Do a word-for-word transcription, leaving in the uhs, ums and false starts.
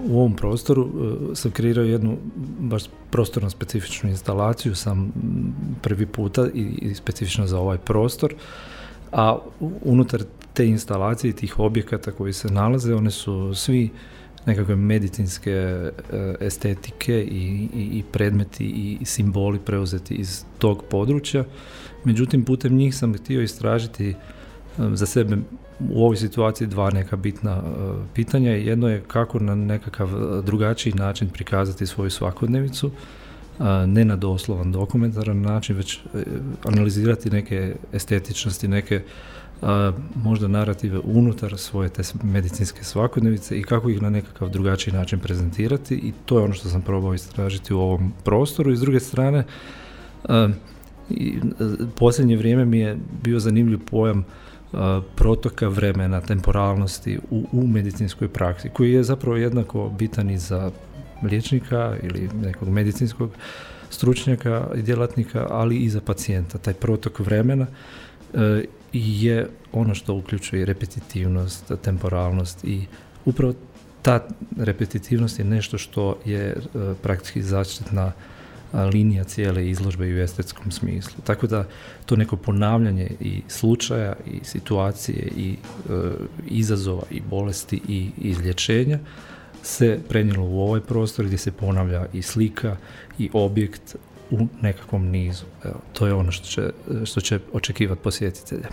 u ovom prostoru sam kreirao jednu baš prostorno specifičnu instalaciju, sam prvi puta i, i specifično za ovaj prostor, a unutar te instalacije i tih objekata koji se nalaze, one su svi nekakve medicinske estetike i, i, i predmeti i simboli preuzeti iz tog područja. Međutim, putem njih sam htio istražiti za sebe u ovoj situaciji dva neka bitna uh, pitanja. Jedno je kako na nekakav drugačiji način prikazati svoju svakodnevicu, uh, ne na doslovan dokumentaran način, već uh, analizirati neke estetičnosti, neke uh, možda narative unutar svoje te medicinske svakodnevice i kako ih na nekakav drugačiji način prezentirati, i to je ono što sam probao istražiti u ovom prostoru. I s druge strane, uh, i, uh, posljednje vrijeme mi je bio zanimljiv pojam protoka vremena, temporalnosti u, u medicinskoj praksi, koji je zapravo jednako bitan i za liječnika ili nekog medicinskog stručnjaka i djelatnika, ali i za pacijenta. Taj protok vremena e, je ono što uključuje repetitivnost, temporalnost, i upravo ta repetitivnost je nešto što je e, praktički zaštitna linija cijele izložbe i u estetskom smislu. Tako da to neko ponavljanje i slučaja i situacije i e, izazova i bolesti i izlječenja se prenijelo u ovaj prostor gdje se ponavlja i slika i objekt u nekakvom nizu. Evo, to je ono što će, što će očekivati posjetitelja.